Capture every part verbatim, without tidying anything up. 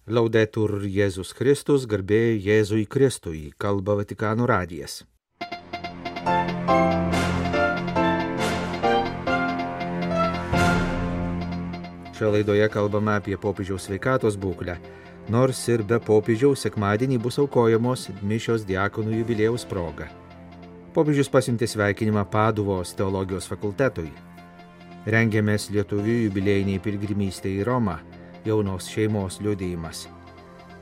Laudetur Jėzus Kristus, garbė Jėzui Kristui, kalba Vatikano radijas. Šioje laidoje kalbame apie popiežiaus sveikatos būklę. Nors ir be popiežiaus sekmadienį bus aukojamos mišios diakonų jubiliejaus proga. Popiežius pasiuntė sveikinimą Paduvos teologijos fakultetui. Rengiamės lietuvių jubiliejiniai pilgrimystė į Romą. Jaunos šeimos liudijimas.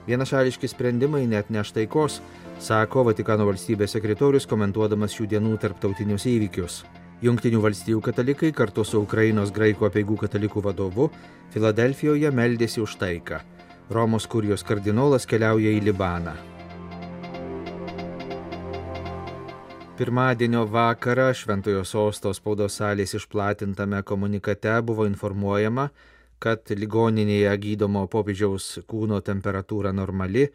Vienašališki sprendimai net neš taikos, sako Vatikano valstybės sekretorius, komentuodamas šių dienų tarptautinius įvykius. Jungtinių valstijų katalikai kartu su Ukrainos graikų apeigų katalikų vadovu Filadelfijoje meldėsi už taiką. Romos kurijos kardinolas keliauja į Libaną. Pirmadienio vakarą Šventojo Sosto spaudos salės išplatintame komunikate buvo informuojama, kad ligoninėje gydomo popiežiaus kūno temperatūra normali,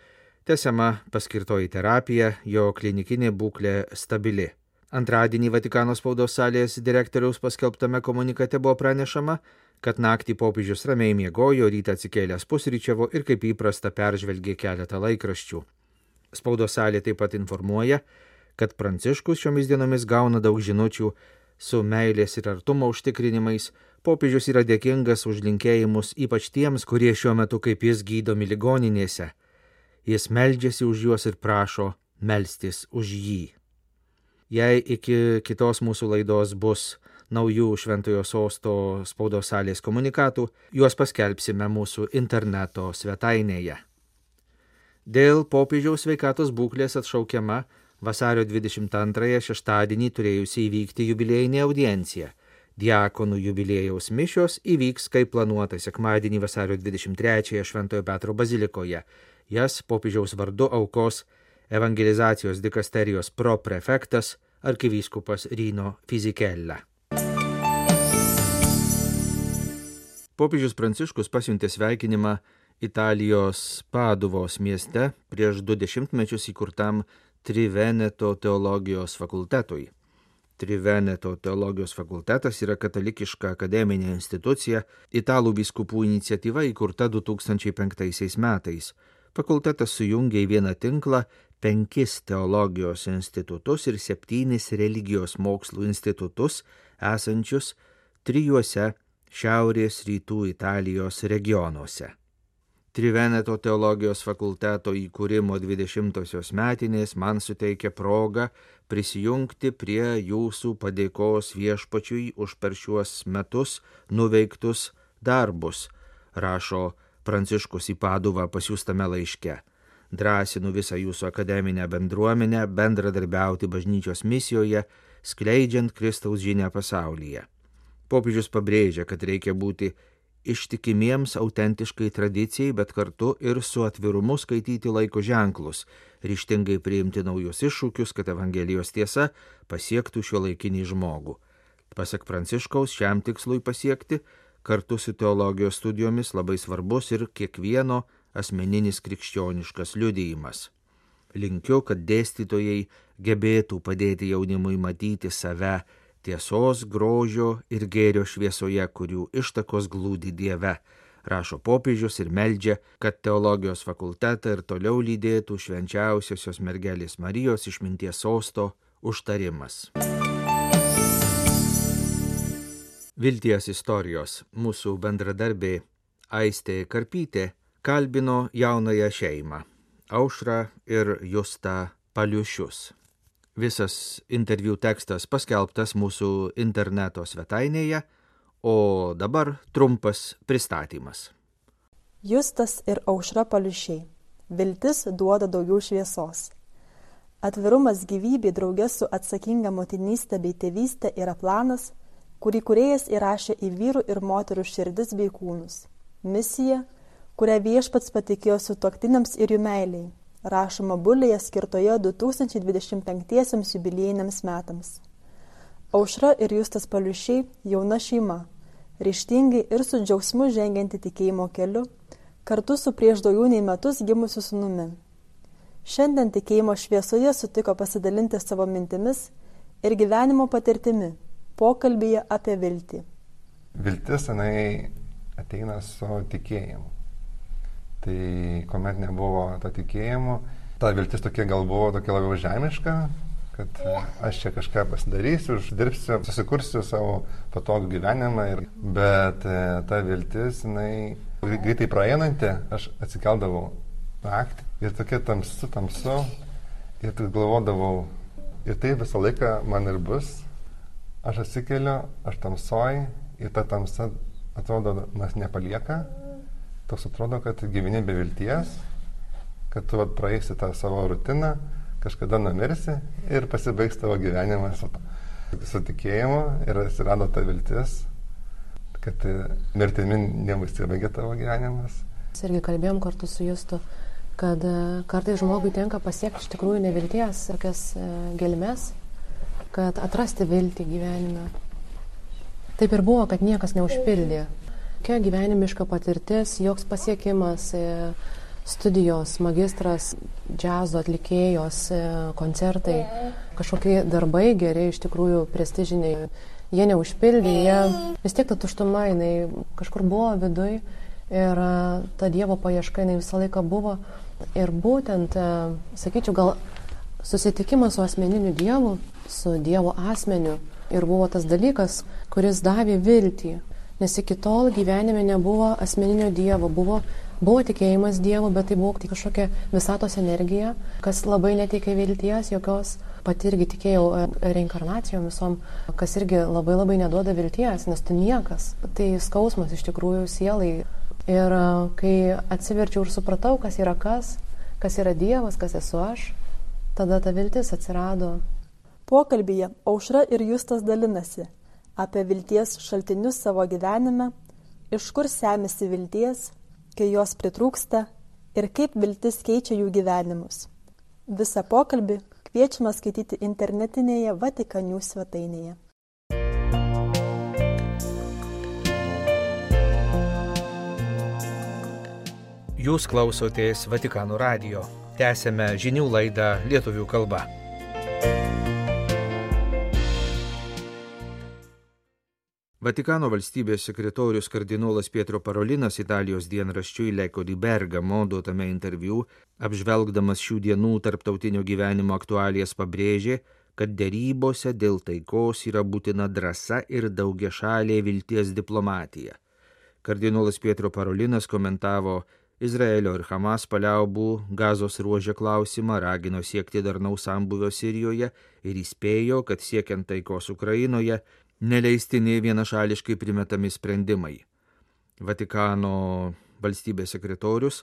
tęsiama paskirtoji terapija, jo klinikinė būklė stabili. Antradienį Vatikano spaudos salės direktoriaus paskelbtame komunikate buvo pranešama, kad naktį popiežius ramiai miegojo, rytą atsikėlęs pusryčiavo ir kaip įprasta peržvelgė keletą laikraščių. Spaudos salė taip pat informuoja, kad Pranciškus šiomis dienomis gauna daug žinučių su meilės ir artumo užtikrinimais. Popiežius yra dėkingas už linkėjimus ypač tiems, kurie šiuo metu kaip jis gydomi ligoninėse. Jis meldžiasi už juos ir prašo melstis už jį. Jei iki kitos mūsų laidos bus naujų Šventojo Sosto spaudos salės komunikatų, juos paskelbsime mūsų interneto svetainėje. Dėl popiežiaus sveikatos būklės atšaukiama vasario dvidešimt antrąją šeštadienį turėjusi įvykti jubiliejinė audiencija. Diakonų jubiliejaus mišios įvyks kaip planuota sekmadienį vasario dvidešimt trečiąją Šventojo Petro bazilikoje. Jas popiežiaus vardu aukos evangelizacijos dikasterijos proprefektas arkivyskupas Rino Fisichella. Popiežius Pranciškus pasiuntė sveikinimą Italijos Paduvos mieste prieš du dešimtmečius įkurtam Triveneto teologijos fakultetui. Triveneto teologijos fakultetas yra katalikiška akademinė institucija, italų vyskupų iniciatyva įkurta du tūkstančiai penktaisiais metais. Fakultetas sujungia į vieną tinklą penkis teologijos institutus ir septynis religijos mokslų institutus esančius trijuose šiaurės rytų Italijos regionuose. Triveneto teologijos fakulteto įkūrimo dvidešimtosios metinės man suteikia progą prisijungti prie jūsų padėkos viešpačiui už per šiuos metus nuveiktus darbus, rašo Pranciškus į Paduvą pasiųstame laiške. Drąsinu visą jūsų akademinę bendruomenę bendradarbiauti bažnyčios misijoje, skleidžiant Kristaus žinią pasaulyje. Popiežius pabrėžia, kad reikia būti ištikimiems autentiškai tradicijai, bet kartu ir su atvirumu skaityti laiko ženklus, ryžtingai priimti naujus iššūkius, kad Evangelijos tiesa pasiektų šiuolaikinį žmogų. Pasak Pranciškaus, šiam tikslui pasiekti, kartu su teologijos studijomis labai svarbus ir kiekvieno asmeninis krikščioniškas liudijimas. Linkiu, kad dėstytojai gebėtų padėti jaunimui matyti save tiesos, grožio ir gėrio šviesoje, kurių ištakos glūdi Dieve, rašo popiežius ir meldžia, kad teologijos fakultetą ir toliau lydėtų švenčiausiosios mergelės Marijos išminties sosto užtarimas. Vilties istorijos mūsų bendradarbė Aistė Karpytė kalbino jaunąją šeimą Aušrą ir Justą Paliušius. Visas interviu tekstas paskelbtas mūsų interneto svetainėje, o dabar trumpas pristatymas. Justas ir Aušra Paliušiai. Viltis duoda daugiau šviesos. Atvirumas gyvybė drauge su atsakinga motinystė bei tėvystė yra planas, kurį kūrėjas įrašė į vyrų ir moterų širdis bei kūnus. Misija, kurią viešpats patikėjo sutuoktiniams ir jų meiliai, rašoma bulėje skirtoje du tūkstančiai dvidešimt penkiesiems jubiliejiniams metams. Aušra ir Justas Paliušiai jauna šeima, ryžtingai ir su džiaugsmu žengianti tikėjimo keliu, kartu su prieš daugiau nei metus gimusiu sūnumi. Šiandien tikėjimo šviesoje sutiko pasidalinti savo mintimis ir gyvenimo patirtimi, pokalbyje apie viltį. Viltis, jinai ateina su tikėjimu. Tai kuomet nebuvo to tikėjimo, ta viltis tokia gal buvo tokia labiau žemiška, kad aš čia kažką pasidarysiu, uždirbsiu, susikursiu savo patogų gyvenimą. Ir, bet ta viltis, jinai greitai praeinanti, aš atsikeldavau naktį ir tokia tamsu, tamsu ir tik galvodavau, ir tai visą laiką man ir bus. Aš atsikeliu, aš tamsoj ir ta tamsa atrodo, nas nepalieka. Toks atrodo, kad gyveni be vilties, kad tu praeisi tą savo rutiną, kažkada numirsi ir pasibaigs tavo gyvenimas su tikėjimu ir atsirado ta viltis, kad mirtimi nebusibaigia tavo gyvenimas. Mes irgi kalbėjom kartu su Justu, kad kartais žmogui tenka pasiekti iš tikrųjų nevilties, tokias gelmes, kad atrasti viltį gyvenime. Taip ir buvo, kad niekas neužpildė. Kokia gyvenimiška patirtis, joks pasiekimas, studijos, magistras, džiazo atlikėjos, koncertai, kažkokie darbai geri, iš tikrųjų prestižiniai. Jie neužpildė, jie vis tiek ta tuštuma, jinai kažkur buvo viduj ir ta Dievo paieška, jinai visą laiką buvo. Ir būtent, sakyčiau, gal susitikimas su asmeniniu Dievu, su Dievo asmeniu ir buvo tas dalykas, kuris davė viltį. Nes iki tol gyvenime nebuvo asmeninio Dievo, buvo, buvo tikėjimas Dievu, bet tai buvo tik kažkokia visatos energija, kas labai neteikė vilties, jokios, pati irgi tikėjau reinkarnacijom visom, kas irgi labai labai neduoda vilties, nes tu niekas. Tai skausmas iš tikrųjų sielai. Ir kai atsiverčiau ir supratau, kas yra kas, kas yra Dievas, kas esu aš, tada ta viltis atsirado. Pokalbyje Aušra ir Justas dalinasi apie vilties šaltinius savo gyvenime, iš kur semisi vilties, kai jos pritrūksta ir kaip viltis keičia jų gyvenimus. Visą pokalbį kviečiama skaityti internetinėje Vatikan News svetainėje. Jūs klausotės Vatikano radijo. Tęsiame žinių laidą lietuvių kalba. Vatikano valstybės sekretorius kardinolas Pietro Parolinas Italijos dienraščiui L'Eco di Bergamo duotame interviu, apžvelgdamas šių dienų tarptautinio gyvenimo aktualijas, pabrėžė, kad derybose dėl taikos yra būtina drąsa ir daugiašalė vilties diplomatija. Kardinolas Pietro Parolinas komentavo Izraelio ir Hamas paliaubų Gazos ruože klausimą, ragino siekti darnaus sambūvio Sirijoje ir įspėjo, kad siekiant taikos Ukrainoje neleistini vienašališkai primetami sprendimai. Vatikano valstybės sekretorius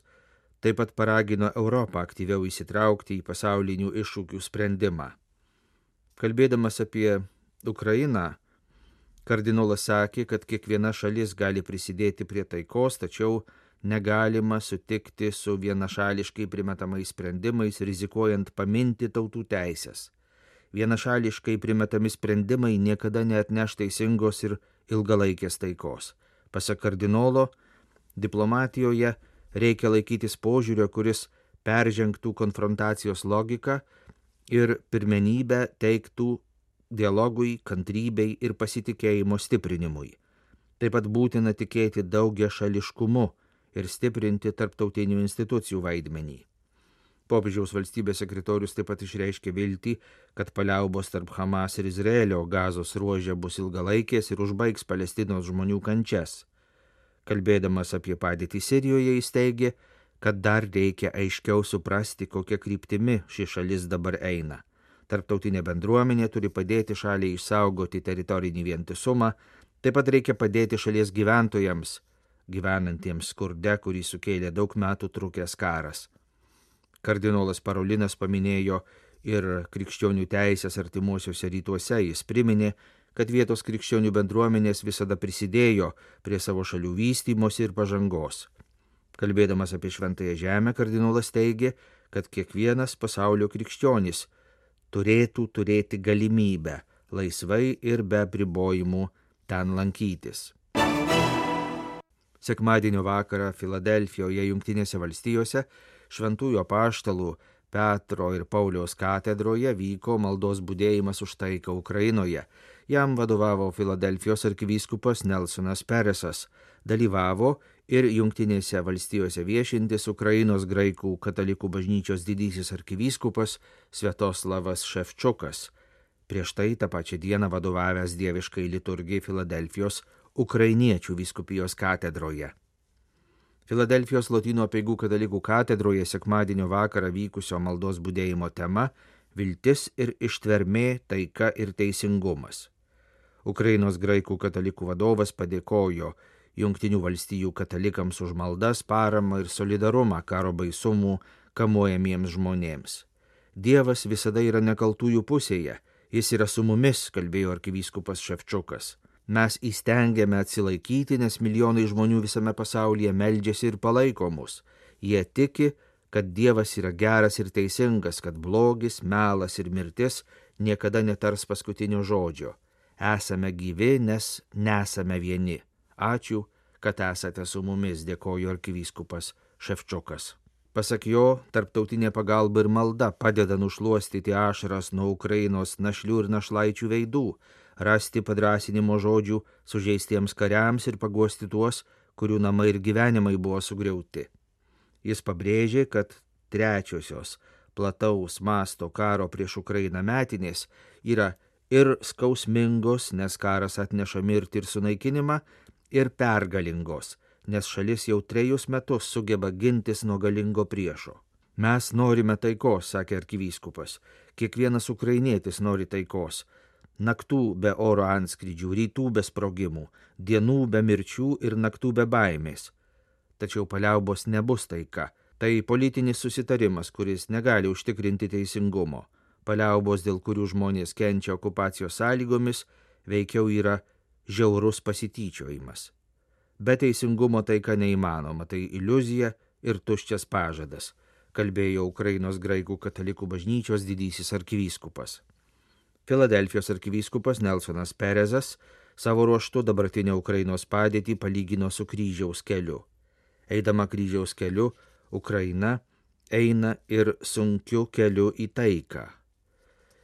taip pat paragino Europą aktyviau įsitraukti į pasaulinių iššūkių sprendimą. Kalbėdamas apie Ukrainą, kardinolas sakė, kad kiekviena šalis gali prisidėti prie taikos, tačiau negalima sutikti su vienašališkai primetamais sprendimais, rizikuojant paminti tautų teisės. Vienašališkai primetami sprendimai niekada neatneš teisingos ir ilgalaikės taikos. Pasak kardinolo, diplomatijoje reikia laikytis požiūrio, kuris peržengtų konfrontacijos logiką ir pirmenybę teiktų dialogui, kantrybei ir pasitikėjimo stiprinimui. Taip pat būtina tikėti daugiašališkumu ir stiprinti tarptautinių institucijų vaidmenį. Popiežiaus valstybės sekretorius taip pat išreiškė viltį, kad paliaubos tarp Hamas ir Izraelio Gazos ruože bus ilgalaikės ir užbaigs Palestinos žmonių kančias. Kalbėdamas apie padėtį Sirijoje, jis teigė, kad dar reikia aiškiau suprasti, kokia kryptimi ši šalis dabar eina. Tarptautinė bendruomenė turi padėti šaliai išsaugoti teritorinį vientisumą, taip pat reikia padėti šalies gyventojams, gyvenantiems skurde, kurį sukėlė daug metų trukęs karas. Kardinolas Parolinas paminėjo ir krikščionių teisės artimuosiuose rytuose. Jis priminė, kad vietos krikščionių bendruomenės visada prisidėjo prie savo šalių vystymosi ir pažangos. Kalbėdamas apie Šventąją Žemę, kardinolas teigė, kad kiekvienas pasaulio krikščionis turėtų turėti galimybę laisvai ir be apribojimų ten lankytis. Sekmadienio vakarą Filadelfijoje, Jungtinėse valstijose, Šventųjų apaštalų Petro ir Pauliaus katedroje vyko maldos budėjimas už taiką Ukrainoje. Jam vadovavo Filadelfijos arkivyskupas Nelsonas Peresas. Dalyvavo ir Jungtinėse valstijose viešintis Ukrainos graikų katalikų bažnyčios didysis arkivyskupas Sviatoslavas Ševčiukas, prieš tai tą pačią dieną vadovavęs dieviškai liturgijai Filadelfijos ukrainiečių vyskupijos katedroje. Filadelfijos Lotynų apeigų katalikų katedroje sekmadienio vakarą vykusio maldos budėjimo tema – viltis ir ištvermė, taika ir teisingumas. Ukrainos graikų katalikų vadovas padėkojo Jungtinių valstijų katalikams už maldas, paramą ir solidarumą karo baisumų kamuojamiems žmonėms. Dievas visada yra nekaltųjų pusėje, jis yra su mumis, kalbėjo arkivyskupas Ševčiukas. Mes įstengiame atsilaikyti, nes milijonai žmonių visame pasaulyje meldžiasi ir palaiko mus. Jie tiki, kad Dievas yra geras ir teisingas, kad blogis, melas ir mirtis niekada netars paskutinio žodžio. Esame gyvi, nes nesame vieni. Ačiū, kad esate su mumis, dėkojo arkivyskupas Ševčiukas. Pasak jo, tarptautinė pagalba ir malda padeda nušluostyti ašaras nuo Ukrainos našlių ir našlaičių veidų, rasti padrasinimo žodžių sužeistiems kariams ir paguosti tuos, kurių namai ir gyvenimai buvo sugriauti. Jis pabrėžė, kad trečiosios plataus masto karo prieš Ukrainą metinės yra ir skausmingos, nes karas atneša mirtį ir sunaikinimą, ir pergalingos, nes šalis jau trejus metus sugeba gintis nuo galingo priešo. Mes norime taikos, sakė arkivyskupas. Kiekvienas ukrainietis nori taikos. Naktų be oro antskrydžių, rytų be sprogimų, dienų be mirčių ir naktų be baimės. Tačiau paliaubos nebus taika. Tai politinis susitarimas, kuris negali užtikrinti teisingumo. Paliaubos, dėl kurių žmonės kenčia okupacijos sąlygomis, veikiau yra žiaurus pasityčiojimas. Be teisingumo taika neįmanoma, tai iliuzija ir tuščias pažadas, kalbėjo Ukrainos graikų katalikų bažnyčios didysis arkivyskupas. Filadelfijos arkivyskupas Nelsonas Perezas savo ruožtu dabartinę Ukrainos padėtį palygino su kryžiaus keliu. Eidama kryžiaus keliu, Ukraina eina ir sunkiu keliu į taiką.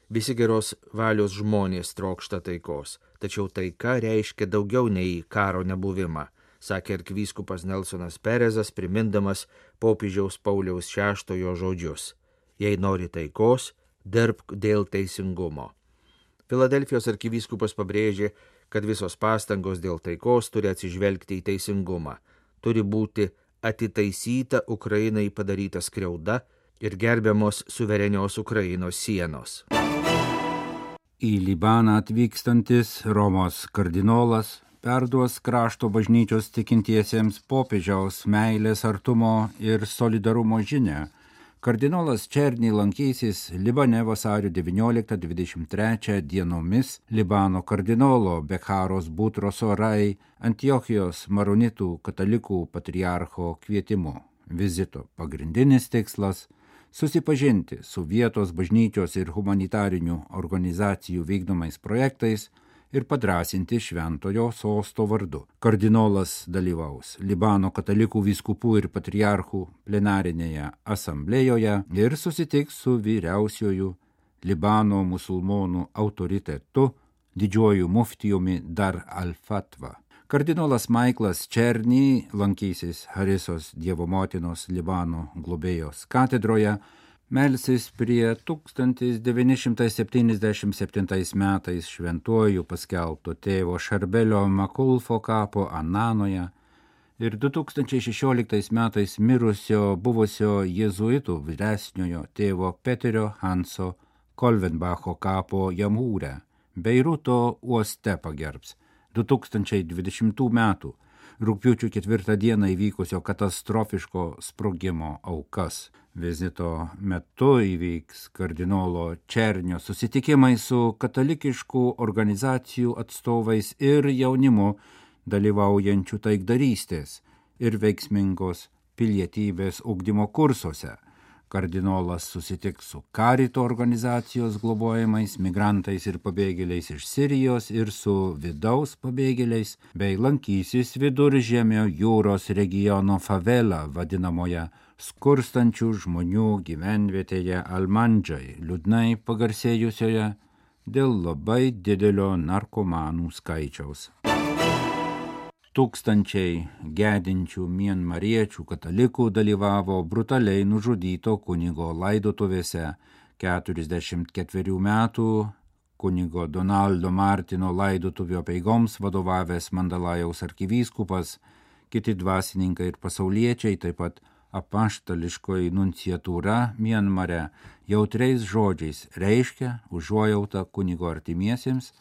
Visi geros valios žmonės trokšta taikos, tačiau taika reiškia daugiau nei karo nebuvimą, sakė arkivyskupas Nelsonas Perezas, primindamas popiežiaus Pauliaus šeštojo žodžius. Jei nori taikos, dirbk dėl teisingumo. Filadelfijos arkivyskupas pabrėžė, kad visos pastangos dėl taikos turi atsižvelgti į teisingumą, turi būti atitaisyta Ukrainai padaryta skriauda ir gerbiamos suverenios Ukrainos sienos. Į Libaną atvykstantis Romos kardinolas perduos krašto bažnyčios tikintiesiems popiežiaus meilės, artumo ir solidarumo žinią. Kardinolas Černy lankysis Libane vasario devynioliktą dvidešimt trečią dienomis Libano kardinolo Bekharos Butros Orai Antiochijos maronitų katalikų patriarcho kvietimu. Vizito pagrindinis tikslas – susipažinti su vietos bažnyčios ir humanitarinių organizacijų vykdomais projektais ir padrąsinti šventojo sosto vardu. Kardinolas dalyvaus Libano katalikų vyskupų ir patriarchų plenarinėje asamblėjoje ir susitiks su vyriausiuoju Libano musulmonų autoritetu, didžiuoju muftijumi Dar al-Fatva. Kardinolas Maiklas Černy lankysis Harisos Dievo motinos Libano globėjos katedroje, melsis prie tūkstantis devyni šimtai septyniasdešimt septintais metais šventuoju paskelbto tėvo Šarbelio Makulfo kapo Ananoje ir du tūkstančiai šešioliktais metais mirusio buvusio jėzuitų vyresniojo tėvo Peterio Hanso Kolvenbacho kapo Jamūre, Beiruto uoste pagerbs du tūkstančiai dvidešimtų metų rugpjūčio ketvirtą dieną įvykusio katastrofiško sprogimo aukas. Vizito metu įvyks kardinolo Černio susitikimai su katalikiškų organizacijų atstovais ir jaunimu dalyvaujančių taikdarystės ir veiksmingos pilietybės ugdymo kursuose. Kardinolas susitiks su Karito organizacijos globojamais migrantais ir pabėgėliais iš Sirijos ir su vidaus pabėgėliais, bei lankysis Viduržemio jūros regiono favela vadinamoje skurstančių žmonių gyvenvietėje Almandžai, liūdnai pagarsėjusioje dėl labai didelio narkomanų skaičiaus. tūkstančiai gedinčių mianmariečių katalikų dalyvavo brutaliai nužudyto kunigo laidotuvėse. keturiasdešimt ketverių metų kunigo Donaldo Martino laidotuvių apeigoms vadovavęs Mandalajaus arkivyskupas, kiti dvasininkai ir pasauliečiai, taip pat apaštališkoji nunciatūra Mianmare jautriais žodžiais reiškia užuojautą kunigo artimiesiems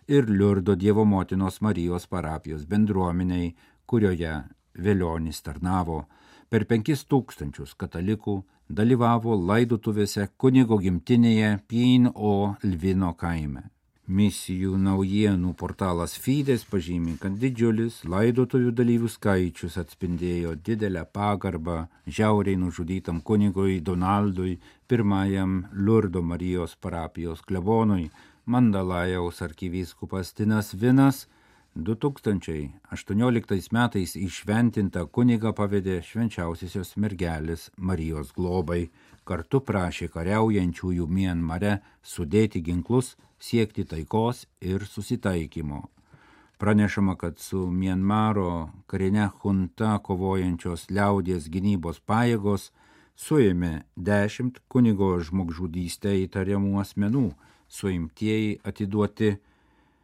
ir Liurdo Dievo motinos Marijos parapijos bendruomeniai, kurioje Velionis tarnavo. Per penkis tūkstančius katalikų dalyvavo laidotuvėse kunigo gimtinėje Pyn O Lvino kaime. Misijų naujienų portalas Fides pažymi, kad didžiulis laidotuvių dalyvių skaičius atspindėjo didelę pagarbą žiauriai nužudytam kunigui Donaldui, pirmajam Liurdo Marijos parapijos klebonui. Mandalajaus arkivyskupas Tinas Vinas du tūkstančiai aštuonioliktais metais įšventintą kunigą pavedė švenčiausiosios mergelės Marijos globai. Kartu prašė kariaujančiųjų Mianmare sudėti ginklus, siekti taikos ir susitaikymo. Pranešama, kad su Mianmaro karine junta kovojančios liaudies gynybos pajėgos suėmė dešimt kunigo žmogžudystę įtariamų asmenų, suimtieji atiduoti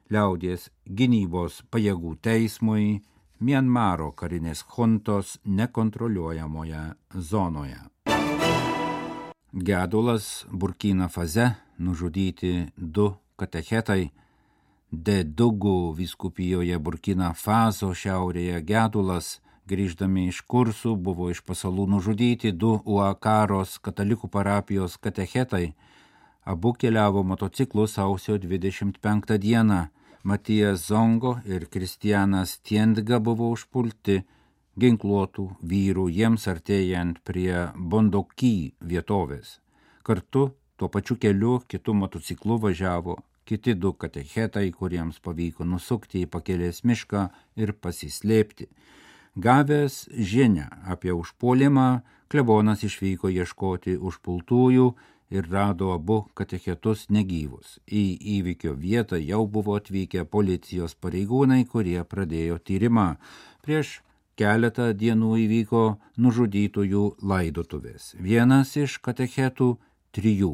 liaudies gynybos pajėgų teismui Mianmaro karinės juntos nekontroliuojamoje zonoje. Gedulas Burkina Faze, nužudyti du katechetai. Dedugų vyskupijoje Burkina Faso šiaurėje gedulas, grįždami iš kursų, buvo iš pasalų nužudyti du Uakaros katalikų parapijos katechetai. Abu keliavo motociklu sausio dvidešimt penktą dieną. Matijas Zongo ir Kristianas Tiendga buvo užpulti ginkluotų vyrų jiems artėjant prie Bondoky vietovės. Kartu tuo pačiu keliu kitu motociklu važiavo kiti du katechetai, kuriems pavyko nusukti į pakelės mišką ir pasislėpti. Gavęs žinią apie užpuolimą, klebonas išvyko ieškoti užpultųjų ir rado abu katechetus negyvus. Į įvykio vietą jau buvo atvykę policijos pareigūnai, kurie pradėjo tyrimą. Prieš keletą dienų įvyko nužudytųjų laidotuvės. Vienas iš katechetų trijų,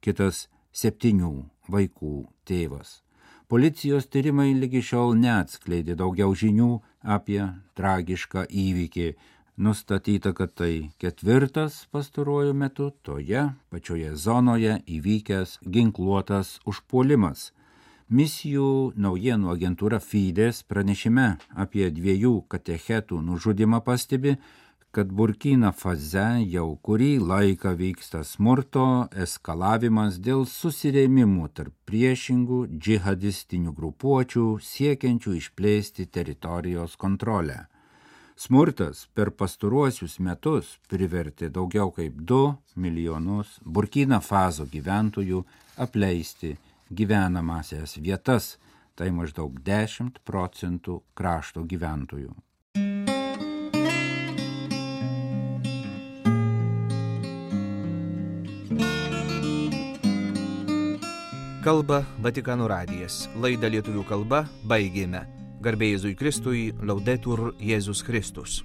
kitas septynių vaikų tėvas. Policijos tyrimai lygi šiol neatskleidė daugiau žinių apie tragišką įvykį. Nustatyta, kad tai ketvirtas pastaruoju metu toje pačioje zonoje įvykęs ginkluotas užpuolimas. Misijų naujienų agentūra Fides pranešime apie dviejų katechetų nužudimą pastebi, kad Burkina Faze jau kurį laiką vyksta smurto eskalavimas dėl susirėmimų tarp priešingų džihadistinių grupuočių siekiančių išplėsti teritorijos kontrolę. Smurtas per pastaruosius metus privertė daugiau kaip du milijonus Burkina Faso gyventojų apleisti gyvenamasias vietas, tai maždaug dešimt procentų krašto gyventojų. Kalba Vatikano radijas. Laidą lietuvių kalba baigėme. Garbė Jėzui Kristui, Laudetur Jėzus Kristus.